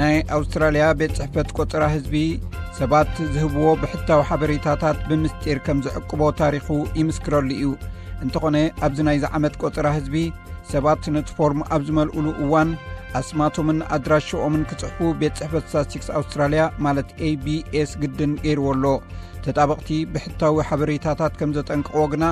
ናይ ኣውስትራልያ ቤት ጽሕፈት ቆጸራ ህዝቢ ሰባት ዝህብዎ ብሕታዊ ሓበሬታታት ብምስጢር ከም ዝዕቅቦ ታሪኹ ይምስክረሉ እዩ። እንተኾነ ኣብዚ ናይዚ ዓመት ቆጸራ ህዝቢ ሰባት ነቲ ፎርም ኣብ ዝመልኡሉ እዋን ኣስማቶምን ኣድራሽኦምን ክጽሕፉ ቤት ጽሕፈት ስታትስቲክስ ኣውስትራልያ ማለት ኤ ቢ ኤስ ግድን ገይርዎ ኣሎ። ተጣበቕቲ ብሕታዊ ሓበሬታታት ከም ዘጠንቅቕዎ ግና፣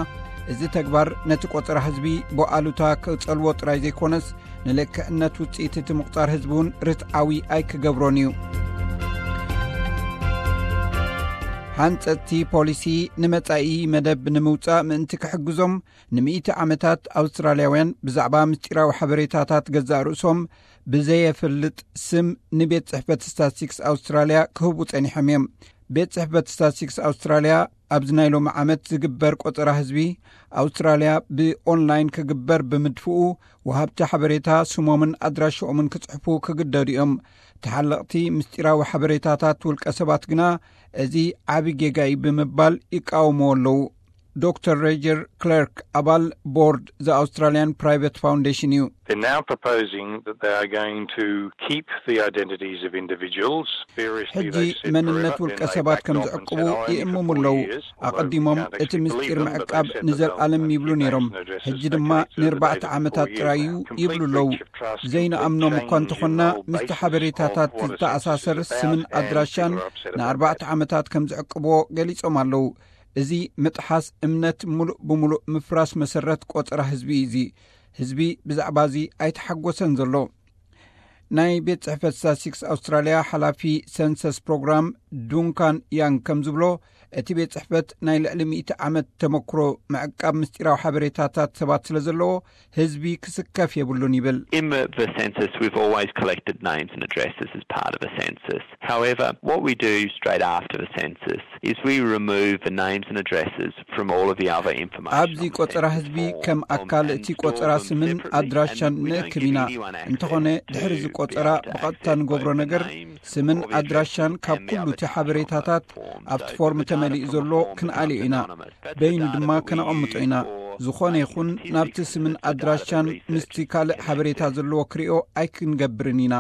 እዚ ተግባር ነቲ ቆጸራ ህዝቢ ብኣሉታ ክጸልዎ ጥራይ ዘይኮነስ፣ ንልክዕነት ውጽኢት እቲ ምቑጻር ህዝቢ እውን ርትዓዊ ኣይክገብሮን እዩ። ሓንጸጽቲ ፖሊሲ ንመጻኢ መደብ ንምውጻእ ምእንቲ ክሕግዞም፣ ንምእቲ ዓመታት ኣውስትራልያውያን ብዛዕባ ምስጢራዊ ሓበሬታታት ገዛእ ርእሶም ብዘየፍልጥ ስም ንቤት ጽሕፈት ስታትስቲክስ ኣውስትራልያ ክህቡ ጸኒሖም እዮም። ቤት ጽሕፈት ስታትስቲክስ ኣውስትራልያ ኣብዚ ናይ ሎሚ ዓመት ዝግበር ቆጸራ ህዝቢ ኣውስትራልያ ብኦንላይን ክግበር ብምድፍኡ፣ ወሃብቲ ሓበሬታ ስሞምን ኣድራሽኦምን ክጽሕፉ ክግደዱ እዮም። ተሓለቕቲ ምስጢራዊ ሓበሬታታት ውልቀ ሰባት ግና እዚ ዓቢ ጌጋ እዩ ብምባል ይቃወምዎ ኣለዉ። ዶክተር ሬጀር ክለርክ፣ ኣባል ቦርድ ዘ ኣውስትራልያን ፕራይቬት ፋውንዴሽን እዩ። They're now proposing that they are going to keep the identities of individuals. ሕጂ መንነት ውልቀ ሰባት ከም ዝዕቅቡ ይእምሙ ኣለዉ። ኣቐዲሞም እቲ ምስጢር ምዕቃብ ንዘለኣለም ይብሉ ነይሮም። ሕጂ ድማ ንርባዕተ ዓመታት ጥራይ እዩ ይብሉ ኣለዉ። ዘይንኣምኖም እኳ እንተኾንና፣ ምስቲ ሓበሬታታት ዝተኣሳሰር ስምን ኣድራሻን ንኣርባዕተ ዓመታት ከም ዝዕቅብዎ ገሊጾም ኣለዉ። እዚ ምጥሓስ እምነት፣ ምሉእ ብምሉእ ምፍራስ መሰረት ቆጸራ ህዝቢ እዩ። እዚ ህዝቢ ብዛዕባ እዚ ኣይተሓጎሰን ዘሎ። ናይ ቤት ጽሕፈት ስታትስቲክስ ኣውስትራልያ ሓላፊ ሰንሰስ ፕሮግራም ዱንካን ያንግ ከም ዝብሎ፣ እቲ ቤት ጽሕፈት ናይ ልዕሊ ሚእቲ ዓመት ተመክሮ ምዕቃብ ምስጢራዊ ሓበሬታታት ሰባት ስለ ዘለዎ፣ ህዝቢ ክስከፍ የብሉን ይብል። In the, the census, we've always collected names and addresses as part of a census. However, what we do straight after the census is we remove the names and addresses from all of the other information. ኣብዚ ቆጸራ ህዝቢ ከም ኣካል እቲ ቆጸራ ስምን ኣድራሻን ንእክብ ኢና። እንተኾነ፣ ድሕሪ እዚ ቆጸራ ብቐጥታ ንገብሮ ነገር፣ ስምን ኣድራሻን ካብ ኩሉ እቲ ሓበሬታታት ኣብቲ ፎርም ተመሊኡ ዘሎ ክንኣልዮ ኢና። በይኑ ድማ ከነቐምጦ ኢና። ዝኾነ ይኹን ናብቲ ስምን ኣድራሻን ምስቲ ካልእ ሓበሬታ ዘለዎ ክሪኦ ኣይክንገብርን ኢና።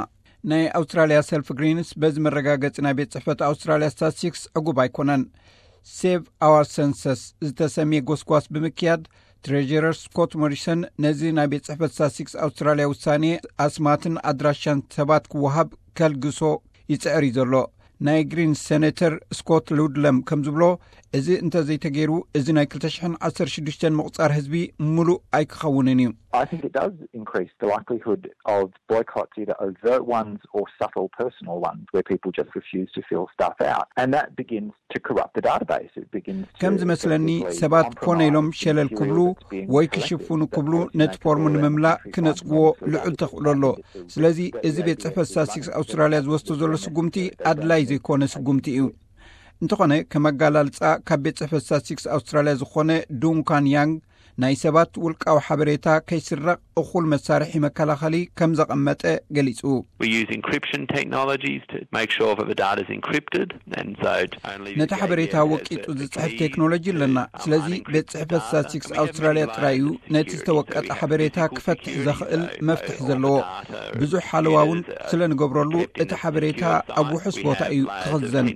ናይ ኣውስትራልያ ሰልፍ ግሪንስ በዚ መረጋገጺ ናይ ቤት ጽሕፈት ኣውስትራልያ ስታትስቲክስ ዕጉብ ኣይኮነን። ሴቭ ኣዋር ሰንሰስ ዝተሰምየ ጎስጓስ ብምክያድ፣ ትሬጀረር ስኮት ሞሪሰን ነዚ ናይ ቤት ጽሕፈት ስታትስቲክስ ኣውስትራልያ ውሳኔ ኣስማትን ኣድራሻን ሰባት ክወሃብ ከልግሶ ይጽዕር እዩ ዘሎ። ናይ ግሪንስ ሴኔተር ስኮት ሉድለም ከም ዝብሎ፣ እዚ እንተዘይተገይሩ፣ እዚ ናይ ክልተ ሽሕን ዓሰርተ ሽዱሽተን ምቑጻር ህዝቢ ምሉእ ኣይክኸውንን እዩ። I think it does increase the likelihood of boycotts, either overt ones or subtle personal ones, where people just refuse to fill stuff out. And that begins to corrupt the database. It begins to ከም ዝመስለኒ፣ ሰባት ኮነ ኢሎም ሸለል ክብሉ ወይ ክሽፍኑ ክብሉ ነቲ ፎርም ንምምላእ ክነጽግዎ ልዑል ተኽእሎ ኣሎ። ስለዚ፣ እዚ ቤት ጽሕፈት ስታትስቲክስ ኣውስትራልያ ዝወስዶ ዘሎ ስጉምቲ ኣድላይ ዘይኮነ ስጉምቲ እዩ። እንተኾነ፣ ከም ኣጋላልጻ ካብ ቤት ጽሕፈት ስታትስቲክስ ኣውስትራልያ ዝኾነ ዱንካን ያንግ፣ ናይ ሰባት ውልቃዊ ሓበሬታ ከይስረቕ እኹል መሳርሒ መከላኸሊ ከም ዘቐመጠ ገሊጹ። We use encryption technologies to make sure that the data is encrypted, and so only the ነቲ ሓበሬታ ወቂጡ ዝጽሕፍ ቴክኖሎጂ ኣለና። ስለዚ፣ ቤት ጽሕፈት ስታትስቲክስ ኣውስትራልያ ጥራይ እዩ ነቲ ዝተወቀጠ ሓበሬታ ክፈትሕ ዘኽእል መፍትሕ ዘለዎ። ብዙሕ ሓለዋ እውን ስለ ንገብረሉ፣ እቲ ሓበሬታ ኣብ ውሑስ ቦታ እዩ ክኽዘን።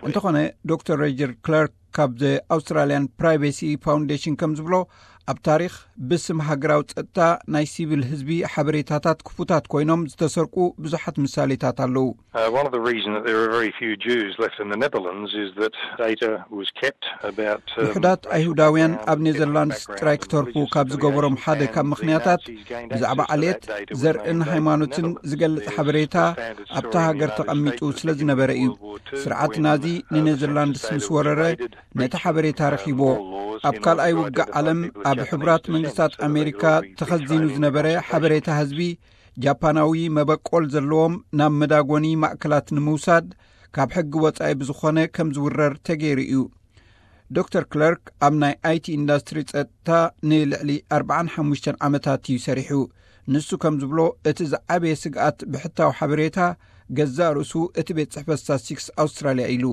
እንተኾነ፣ ዶክተር ሬጀር ክለርክ ካብ ዘ ኣውስትራልያን ፕራይቬሲ ፋውንዴሽን ከም ዝብሎ፣ ኣብ ታሪኽ ብስም ሃገራዊ ጸጥታ ናይ ሲቪል ህዝቢ ሓበሬታታት ክፉታት ኮይኖም ዝተሰርቁ ብዙሓት ምሳሌታት ኣለዉ። Uh, one of the reasons that there are very few Jews left in the Netherlands is that data was kept about, um, ውሑዳት ኣይሁዳውያን ኣብ ኔዘርላንድስ ጥራይ ክተርፉ ካብ ዝገበሮም ሓደ ካብ ምኽንያታት፣ ብዛዕባ ዓሌት፣ ዘርእን ሃይማኖትን ዝገልጽ ሓበሬታ ኣብታ ሃገር ተቐሚጡ ስለ ዝነበረ እዩ። ስርዓት ናዚ ንኔዘርላንድስ ምስ ወረረ፣ ነቲ ሓበሬታ ረኺብዎ። ኣብ ካልኣይ ውግእ ዓለም ኣብ ሕቡራት መንግስታት ኣሜሪካ ተኸዚኑ ዝነበረ ሓበሬታ ህዝቢ፣ ጃፓናዊ መበቆል ዘለዎም ናብ መዳጎኒ ማእከላት ንምውሳድ ካብ ሕጊ ወጻኢ ብዝኾነ ከም ዝውረር ተገይሩ እዩ። ዶክተር ክለርክ ኣብ ናይ ኣይቲ ኢንዳስትሪ ጸጥታ ንልዕሊ ኣርባዓን ሓሙሽተን ዓመታት እዩ ሰሪሑ። ንሱ ከም ዝብሎ፣ እቲ ዝዓበየ ስግኣት ብሕታዊ ሓበሬታ ገዛእ ርእሱ እቲ ቤት ጽሕፈት ስታትስቲክስ ኣውስትራልያ ኢሉ።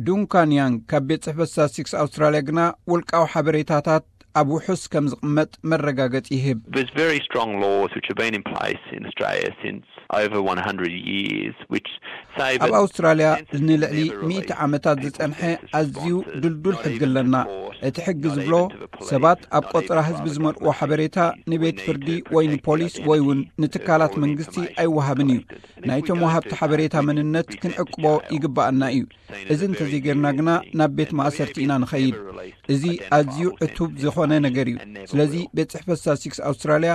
ዱንካን ያንግ ካብ ቤት ጽሕፈት ስታትስቲክስ ኣውስትራልያ ግና፣ ውልቃዊ ሓበሬታታት ኣብ ውሑስ ከም ዝቕመጥ መረጋገጺ ይህብ። There's very strong laws which have been in place in Australia since over one hundred years, which say ኣብ that ኣውስትራልያ census ንልዕሊ never ሚእቲ release ዓመታት people ዝጸንሐ census ኣዝዩ responses, ድልዱል not ሕጊ even to ኣለና። court, እቲ ሕጊ not ዝብሎ even to the police, ሰባት ኣብ not ቆጸራ even to ህዝቢ other ዝመልእዎ government ሓበሬታ agencies. ንቤት We need ፍርዲ to ወይ protect ንፖሊስ that ወይ እውን information. ንትካላት Therefore, መንግስቲ information ኣይወሃብን እዩ። collected. And if we ናይቶም don't ወሃብቲ do that, ሓበሬታ we can መንነት be sent ክንዕቅቦ to jail. ይግባኣና እዩ። Seen እዚ as a very እንተዘይጌርና serious ግና thing. ናብ ቤት And ማእሰርቲ ኢና anything ንኸይድ። ever released እዚ ኣዝዩ identifiable ዕቱብ census ዝኾነ information ነገር እዩ። and never ስለዚ will. ቤት ጽሕፈት ስታትስቲክስ ኣውስትራልያ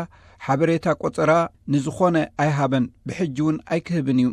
ሓበሬታ ቆጸራ ንዝኾነ ኣይሃበን፣ ብሕጂ እውን ኣይክህብን እዩ።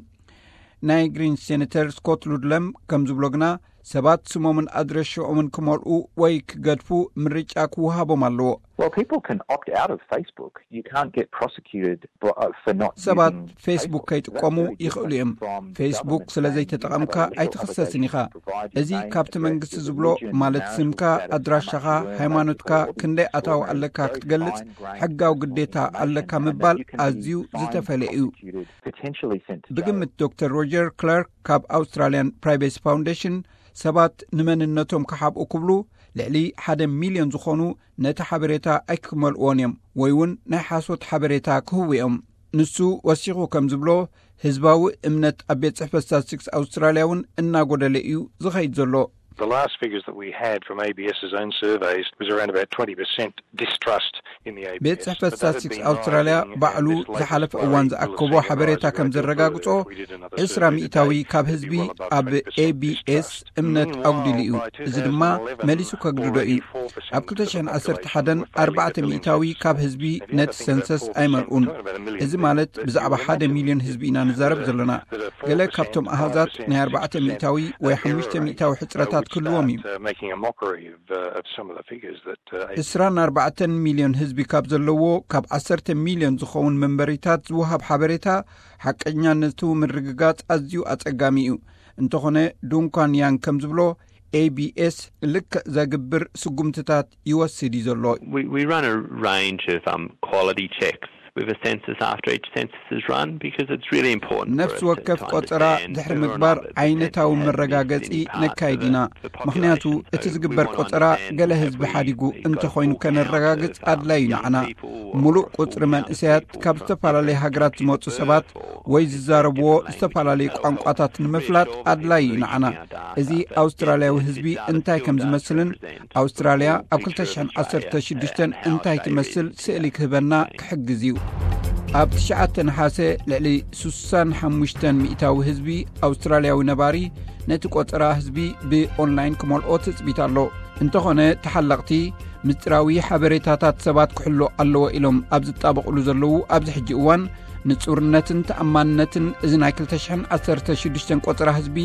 ናይ ግሪን ሴኔተር ስኮት ሉድለም ከም ዝብሎ ግና ሰባት ስሞምን ኣድረሽኦምን ክመልኡ ወይ ክገድፉ ምርጫ ክወሃቦም ኣለዎ። Well, people can opt out of Facebook. You can't get prosecuted for, uh, for not ሰባት using ፌስቡክ Facebook. ከይጥቀሙ That's very ይኽእሉ different እዮም። from the ፌስቡክ government ስለ saying you ዘይተጠቐምካ have a legal ኣይትኽሰስን obligation ኢኻ። to provide your እዚ name, ካብቲ address, መንግስቲ ዝብሎ religion, ማለት marital ስምካ፣ status, how much ኣድራሻኻ፣ you earn, that ሃይማኖትካ፣ sort of thing. ክንደይ ኣታዊ All ኣለካ very ክትገልጽ fine-grained ሕጋዊ personal ግዴታ information, ኣለካ and that ምባል you can be ኣዝዩ fined, ዝተፈለየ እዩ። prosecuted, potentially sent to jail. ብግምት ዶክተር ሮጀር ክላርክ ካብ ኣውስትራልያን ፕራይቬሲ ፋውንዴሽን ሰባት ንመንነቶም ክሓብኡ ክብሉ ልዕሊ ሓደ ሚልዮን ዝኾኑ ነቲ ሓበሬታ ኣይክመልእዎን እዮም ወይ እውን ናይ ሓሶት ሓበሬታ ክህቡ እዮም። ንሱ ወሲኹ ከም ዝብሎ ህዝባዊ እምነት ኣብ ቤት ጽሕፈት ስታትስቲክስ ኣውስትራልያ እውን እናጎደለ እዩ ዝኸይድ ዘሎ። The last figures that we had from ABS's own surveys was around about twenty percent distrust in the ABS. ቤት ጽሕፈት ስታትስቲክስ ኣውስትራልያ ባዕሉ ዝሓለፈ እዋን ዝኣከቦ ሓበሬታ ከም ዘረጋግጾ ዕስራ ሚእታዊ ካብ ህዝቢ ኣብ ኤቢኤስ እምነት ኣጉዲሉ እዩ። እዚ ድማ መሊሱ ከግድዶ እዩ። ኣብ ክልተ ሽሕን ዓሰርተ ሓደን ኣርባዕተ ሚእታዊ ካብ ህዝቢ ነቲ ሰንሰስ ኣይመልኡን። እዚ ማለት ብዛዕባ ሓደ ሚልዮን ህዝቢ ኢና ንዛረብ ዘለና። ገለ ካብቶም ኣሃዛት ናይ ኣርባዕተ ሚእታዊ ወይ ሓሙሽተ ሚእታዊ ሕጽረታት ክህልዎም እዩ። ዕስራን ኣርባዕተን ሚልዮን ህዝቢ ካብ ዘለዎ ካብ ዓሰርተ ሚልዮን ዝኸውን መንበሪታት ዝወሃብ ሓበሬታ ሓቀኛነቱ ምርግጋጽ ኣዝዩ ኣጸጋሚ እዩ። እንተኾነ ዱንኳን ያንግ ከም ዝብሎ ኤቢኤስ ልክዕ ዘግብር ስጉምትታት ይወስድ እዩ ዘሎ። We, we run a range of um, quality checks with a census after each census is run because it's really important for ነፍሲ us to, ወከፍ to ቆጸራ understand ድሕሪ whether or ምግባር not that the ዓይነታዊ census has missed መረጋገጺ any parts ነካይድ of ኢና። the ምኽንያቱ population. እቲ So we ዝግበር wanna ቆጸራ understand ገለ have ህዝቢ we, ሓዲጉ have we got እንተኾይኑ full count ከነረጋግጽ of, um, ኣድላዩ young ንዓና። people or ሙሉእ a full ቁጽሪ count of መንእሰያት people ካብ from ዝተፈላለየ different ሃገራት countries ዝመጹ of ሰባት birth or ወይ different ዝዛረብዎ languages ዝተፈላለየ so we ቋንቋታት can ንምፍላጥ reassure ኣድላዩ እዩ people ንዓና። reaching our data እዚ that ኣውስትራልያዊ census ህዝቢ data እንታይ ከም still does ዝመስልን represent ኣውስትራልያ the full ኣብ picture of ክልተ ሽሕን ዓሰርተ ሽዱሽተን Australia and how እንታይ Australia ትመስል is ስእሊ today. ክህበና ክሕግዝ እዩ። ኣብ ትሽዓተ ነሓሰ ልዕሊ ስሳን ሓሙሽተን ሚእታዊ ህዝቢ ኣውስትራልያዊ ነባሪ ነቲ ቆጸራ ህዝቢ ብኦንላይን ክመልኦ ትጽቢት ኣሎ። እንተኾነ ተሓለቕቲ ምስጢራዊ ሓበሬታታት ሰባት ክሕሎ ኣለዎ ኢሎም ኣብ ዝጣበቕሉ ዘለዉ ኣብዚ ሕጂ እዋን ንጹርነትን ተኣማንነትን እዚ ናይ ክልተ ሽሕን ዓሰርተ ሽዱሽተን ቆጸራ ህዝቢ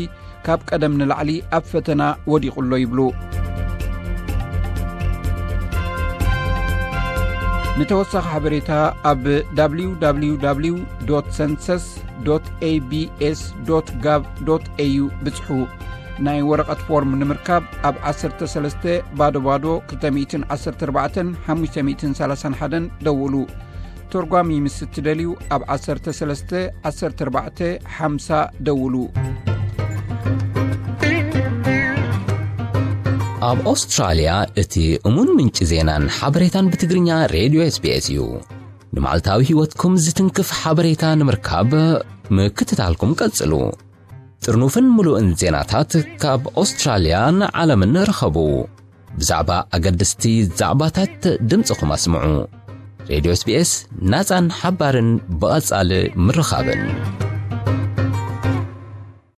ካብ ቀደም ንላዕሊ ኣብ ፈተና ወዲቑ ኣሎ ይብሉ። ንተወሳኺ ሓበሬታ ኣብ www.census.abs.gov.au ብጽሑ። ናይ ወረቐት ፎርም ንምርካብ ኣብ ዓሰርተ ሰለስተ ባዶ ባዶ ክልተ ሚእትን ዓሰርተ ኣርባዕተን ሓሙሽተ ሚእትን ሰላሳን ሓደን ደውሉ። ተርጓሚ ምስ እትደልዩ ኣብ ዓሰርተ ሰለስተ ዓሰርተ ኣርባዕተ ሓምሳ ደውሉ። ኣብ ኣውስትራልያ እቲ እሙን ምንጪ ዜናን ሓበሬታን ብትግርኛ ሬድዮ ኤስቢኤስ እዩ። ንመዓልታዊ ህይወትኩም ዝትንክፍ ሓበሬታ ንምርካብ ምክትታልኩም ቀጽሉ። ጥርኑፍን ምሉእን ዜናታት ካብ ኣውስትራልያን ዓለምን ርኸቡ። ብዛዕባ ኣገደስቲ ዛዕባታት ድምጽኹም ኣስምዑ። ሬድዮ ኤስቢኤስ ናጻን ሓባርን ብቐጻሊ ምርኻብን።